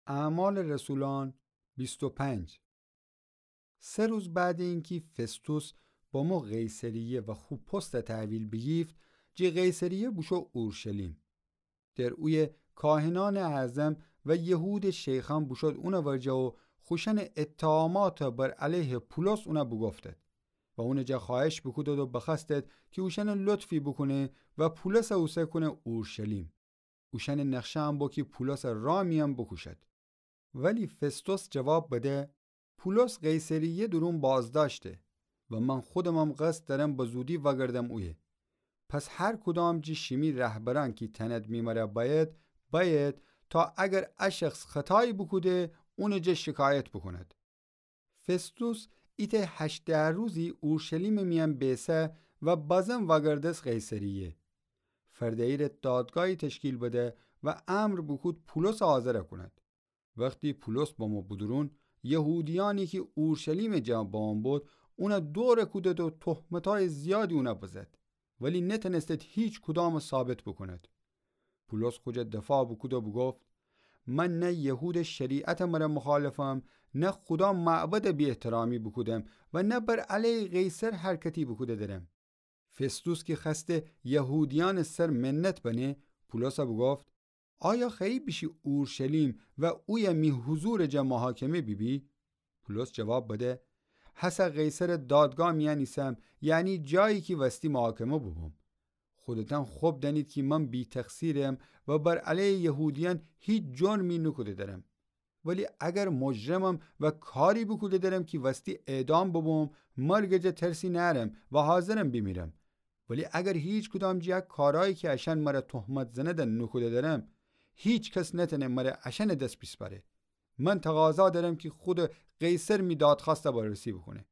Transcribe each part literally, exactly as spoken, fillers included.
اعمال رسولان بیست و پنج. سه روز بعد اینکی فستوس بامو قیصریه و خو پست تحویل بیگیفت، جی قیصریه بوشو اورشلیم. در اویه کاهنأنٚ اعظم و یهودٚ شیخأن بوشود اونٚ ورجه و خوشأنٚ اتهامات بر علیه پولس اون بوگفتد و اونٚ جا خوأهش بوکودد و بخوأستد کی اوشأن لطفی بوکونه و پولس اوسه کونه اورشلیم. اوشأنٚ نقشه‌ام بو کی پولس را میأن بوکوشد. ولی فستوس جواب بده، پولس قیصریه دورون بازداشته و من خودمم قصد دأرم به زودی وأگردم اویه. پس هر کدام جی شیمی رهبرأن کی تأند می مره بأید، بأید تا اگر ا شخص خطایی بوکوده، اونٚ جا شکایت بوکوند. فستوس ایتأ هشت ده روزی اورشلیمٚ میأن بیسه و بازم وأگردس قیصریه. فرده‌یی ره دادگاهی تشکیل بده و امر بوکود پولس حاضر کونید. وختی پولس بامو بودورون، یهودیأنی کی اورشلیمٚ جا بامو بود، اون دور کودد و تهمتای زیادی اون بزد. ولی نتأنستد هیچ کدام ثابت بوکوند. پولس خو جا دفاع بوکود و بوگفت، من نه یهودٚ شریعتٚ مره مخالفم، نه خودا معبدٚ بی‌احترامی بوکودم و نه بر علیه قیصر حرکتی بوکوده درم. فستوس کی خوأسته یهودیأنٚ سر منت بنه، پولس بوگفت، آیا خوأیی بیشی اورشلیم و اویه می حضورٚ جا محاکمه بیبی؟ پولس جواب بده، هسه قیصرٚ دادگاه میأن ایسم، یعنی جایی کی وستی محاکمه بوبوم. خودتأن خب دأنید کی من بی‌تقصیرم و بر علیه یهودیأن هیچ جرمی نوکوده درم. ولی اگر مجرمم و کاری بوکوده درم کی وستی اعدام ببوم، مرگٚ جا ترسی نأرم و حاضرم بیمیرم. ولی اگر هیچ کدام جی ا کارایی کی اشأن مره تهمت زنده نوکوده درم، هیچ کس نتأنه مره اشأنٚ دس بیسپاره. من تقاضا درم کی خودٚ قیصر می دادخوأسته بررسی بوکونه.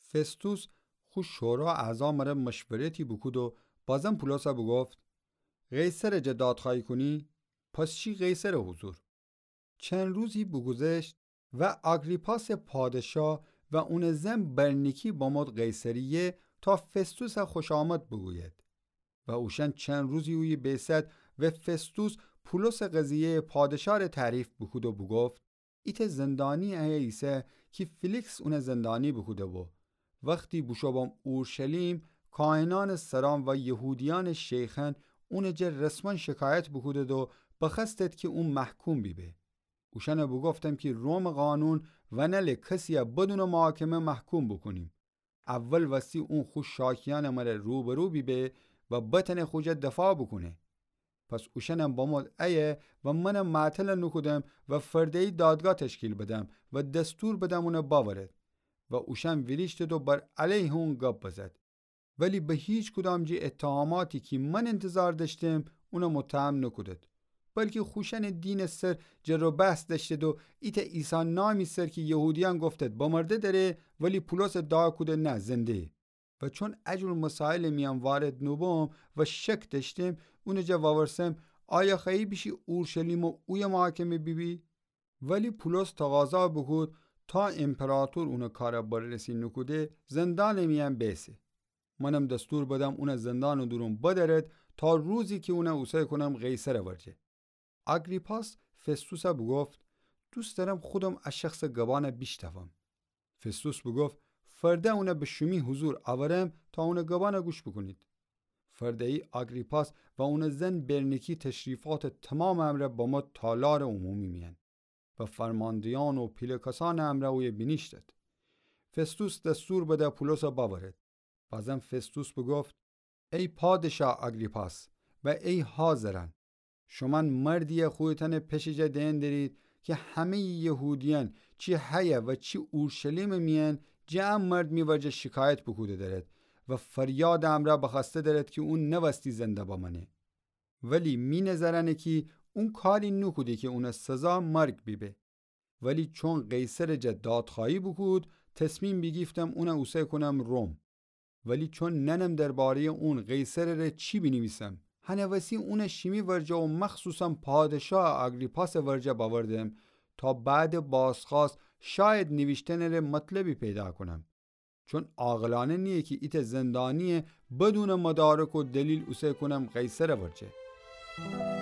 فستوس خو شورا اعضا مره مشورتی بوکود و بازم پولس بوگفت، قیصرٚ جا دادخوأیی کونی؟ پس شی قیصرٚ حضور. چند روزی بوگوذشت و آگریپاسٚ پادشا و اونٚ زن برنیکی بامود قیصریه تا فستوس خوشامد بوگوید. و اوشأن چند روزی اویه بیسد و فستوس پولسٚ قضیه‌یٚ پادشا ره تعریف بوکود و بوگفت، ایتأ زندانی ایه ایسه کی فیلیکس اون زندانی بوکوده بو. وختی بوشو بام اورشلیم، کاهنأنٚ سران و یهودیأنٚ شیخأن اونٚ جا رسماً شکایت بوکودد و بخوأستد کی اون محکوم بیبه. اوشأن بوگفتم کی رومٚ قانون ونله کسیی بدونٚ محاکمه محکوم بوکونیم. اول وستی اون خو شاکیأنٚ مره روبرو بیبه و بتأنه خو جا دفاع بوکونه. پس اوشأنم بامود ایه و منم معطل نوکودم و فرده‌یی دادگاه تشکیل بدم و دستور بدم اون باورد. و اوشأن ویریشتد و بر علیه اون گب بزد. ولی به هیچ کدام جی اتهاماتی کی من انتظار دأشتم، اون متهم نوکودد. بلکی خوشأنٚ دینٚ سر جر و بحث دأشتد و ایتأ عیسی نامی سر کی یهودیأن گفتد بمرده دره، ولی پولس ادعا کوده نه، زنده‌یه. و چون ا جور مسائلٚ میأن وارد نوبوم و شک دأشتم، اونٚ جا وورسم، آیا خوأیی بیشی اورشلیم و اویه محاکمه بیبی؟ ولی پولس تقاضا بوکود تا امپراطور اونٚ کار بررسی نوکوده، زندانٚ میأن بیسه. منم دستور بدم اون زندانٚ دورون بدأرد تا روزی کی اون اوسه کونم قیصرٚ ورجه. آگریپاس فستوس بوگفت، دوست دأرم خودم ا شخصٚ گبأن بیشنوم. فستوس بوگفت، فرده اون به شومی حضور اورم تا اونٚ گبأن گوش بوکونید. فرده‌یی آگریپاس و اونٚ زن برنیکی تشریفاتٚ تومامٚ امرأ بامو تالارٚ عمومی میأن و فرماندهیأن و پیله کسأنٚ امرأ اویه بینیشتد. فستوس دستور بده پولس باورد. بازم فستوس بوگفت، ای پادشا آگریپاس و ای حاضرأن، شومأن مردیی خودتأنٚ پشٚ جا دئن درید کی همه‌یٚ یهودیأن، چی حیه و چی اورشلیمٚ میأن، جٚه ا مرد می ورجه شکایت بوکوده دأرد و فریادٚ امرأ بخوأسته دأرد کی اون نوستی زنده بمأنه. ولی می نظرأنه کی اون کاری نوکوده کی اونٚ سزا مرگ بیبه. ولی چون قیصرٚ جا دادخوأیی بوکود، تصمیم بیگیفتم اون اوسه کونم روم. ولی چون نأنم درباره‌یٚ اون قیصرٚ ره چی بینیویسم، هنٚ وسی اون شیمی ورجه و مخصوصاً پادشا آگریپاسٚ ورجه باوردم تا بعدٚ بازخوأست شاید نیویشتنٚ ره مطلبی پیدا کونم. چون عاقلأنه نییه کی ایتأ زندانیی بدونٚ مدارک و دلیل اوسه کونم قیصرٚ ورجه.